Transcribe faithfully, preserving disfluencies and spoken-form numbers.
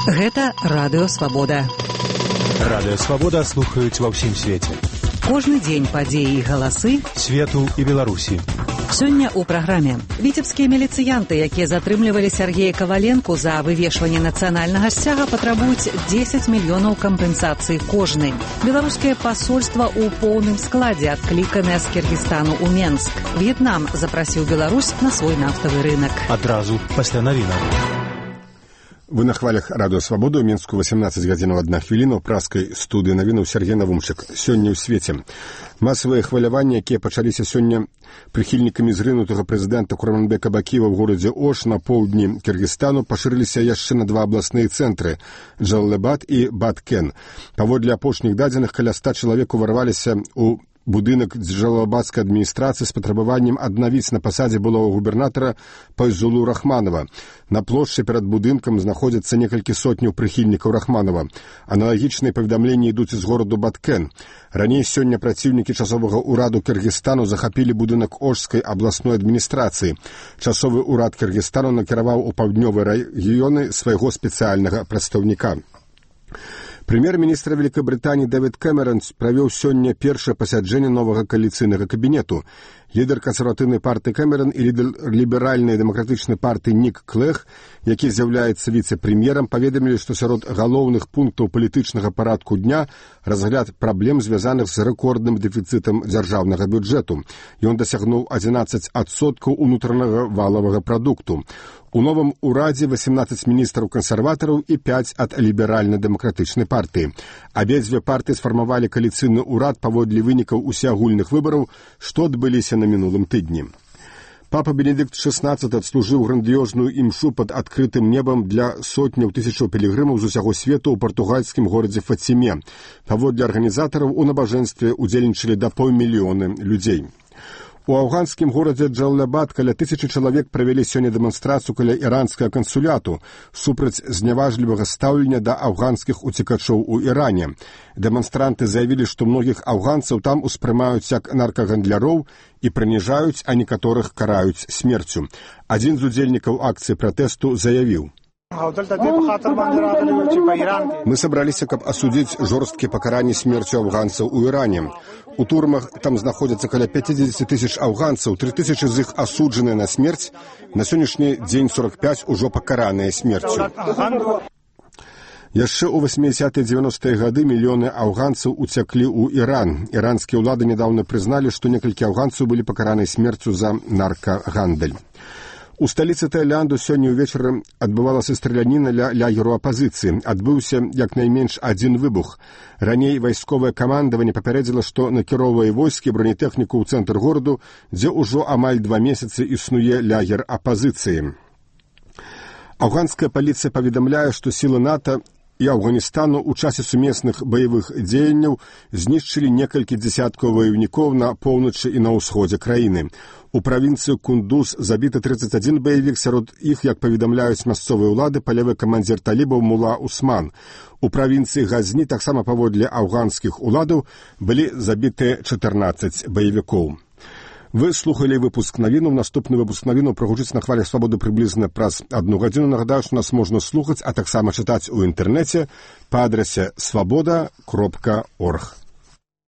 Гэта Радыё Свабода. Радыё Свабода слухаюць ва ўсім свеце. Кожны дзень падзеі і галасы свету і Беларусі. Сёння ў праграме віцебскія міліцыянты, якія затрымлівалі Сергея Каваленку за вывешванне нацыянальнага сцяга, патрабуюць дзесяць мільёнаў кампенсацыі кожны. Беларускае пасольства ў поўным складзе адкліканае з Кіргізстану ў Менск. В'етнам запрасіў Беларусь на свой нафтавы рынок. Адразу пасля навінаў. Вы на хвалях Радыё Свабода, ў Мінску васемнаццаць гадзінаў адна хвіліна, ў праскай студыі навінаў Сергей Навумчык. Сёння ў свеце масавыя хваляванні, якія пачаліся сёння прыхільнікамі зрынутага прэзідэнта Курманбека Бакиева ў горадзе Ош на поўдні Кіргізстану, пашырыліся яшчэ на два абласныя цэнтры – Джалалабад і Баткен. Паводле апошніх дадзеных, каля ста чалавек уварваліся ў будынак Джалалабадскай адміністрацыі з патрабаваннем аднавіць на пасадзе былога губернатара Пайзулу Рахманова. На плошчы перад будынкам знаходзяцца некалькі сотняў прыхільнікаў Рахманова. Аналагічныя паведамленні ідуць з гораду Баткен. Раней сёння праціўнікі часовага ўраду Кіргізстану захапілі будынак Ошскай абласной адміністрацыі. Часовы ўрад Кіргізстану накіраваў у паўднёвыя рэгіёны свайго спецыяльнага прадстаўніка. Прэм'ер-міністр Вялікабрытаніі Дэвід Кэмерон правёў сёння першае пасяджэнне новага кааліцыйнага кабінету. Лідар кансерватыўнай партыі Кэмерон і лідар ліберальнай дэмакратычнай партыі Нік Клэг, які з'яўляецца віцэ-прэм'ерам, паведамілі, што сярод галоўных пунктаў палітычнага парадку дня разгляд праблем, звязаных з рэкордным дэфіцытам дзяржаўнага бюджэту. Ён дасягнуў адзінаццаць адсоткаў унутранага валавага прадукту. У новым урадзе васемнаццаць міністраў кансерватараў і пяць ад ліберальна-дэмакратычнай партыі. Абедзве партыі сфармавалі кааліцыйны ўрад паводле вынікаў усеагульных выбараў, што адбыліся на мінулым тыдні. Папа Бенедыкт шэснаццаты адслужыў грандыёзную імшу пад адкрытым небам для сотняў тысячаў пілігрымаў з усяго свету ў партугальскім горадзе Фаціме. Паводле арганізатараў у набажэнстве удзельнічалі да паўмільёны людзей. У афганскім горадзе Джалалабад каля тысячы чалавек правялі сёння дэманстрацыю каля іранскага кансуляту супраць зняважлівага стаўлення да афганскіх уцекачоў у Іране. Дэманстранты заявілі, што многіх афганцаў там успрымаюць як наркагандляроў і прыніжаюць, а некаторых караюць смерцю. Адзін з удзельнікаў акцыі пратэсту заявіў: «Мы собраліся, каб асудзіць жорсткія пакаранні смерцю афганцаў у Іране. У турмах там знаходзяцца каля пяцьдзесят тысяч афганцаў, тры тысячы з іх асуджаныя на смерць, на сённяшні дзень сорок пяць ужо пакараныя смерцю». Яшчэ ў васьмідзясятыя дзевяностыя гады мільёны афганцаў уцяклі ў Іран. Іранскія ўлады нядаўна прызналі, што некалькі афганцаў былі пакараныя смерцю за наркагандаль. У сталіцы Таіланду сёння ўвечары адбывалася страляніна ля лагеру апазіцыі. Адбыўся як найменш адзін выбух. Раней вайсковае камандаванне папярэдзіла, што накіроўвае войскі бронетэхніку ў цэнтр гораду, дзе ўжо амаль два месяцы існуе лагер апазіцыі. Афганская паліцыя паведамляе, што сілы НАТО і Афганістану ў часе сумесных баявых дзеянняў знішчылі некалькі дзесяткаў ваяўнікоў на поўначы і на ўсходзе краіны. У правінцыі Кундуз забіты трыццаць адзін баявік, сярод іх, як паведамляюць мясцовыя ўлады, палявы камандзір талібаў Мула Усман. У правінцыі Газні таксама паводле афганскіх уладаў былі забітыя чатырнаццаць баявікоў. Вы слухали выпуск навіну. Наступны выпуск навіну прагучыць на хвалях Свабоды прыблізна праз адну гадзіну. Нагадаю, што нас можна слухаць, а таксама чытаць у інтэрнэце па адрасе свабода кропка орг.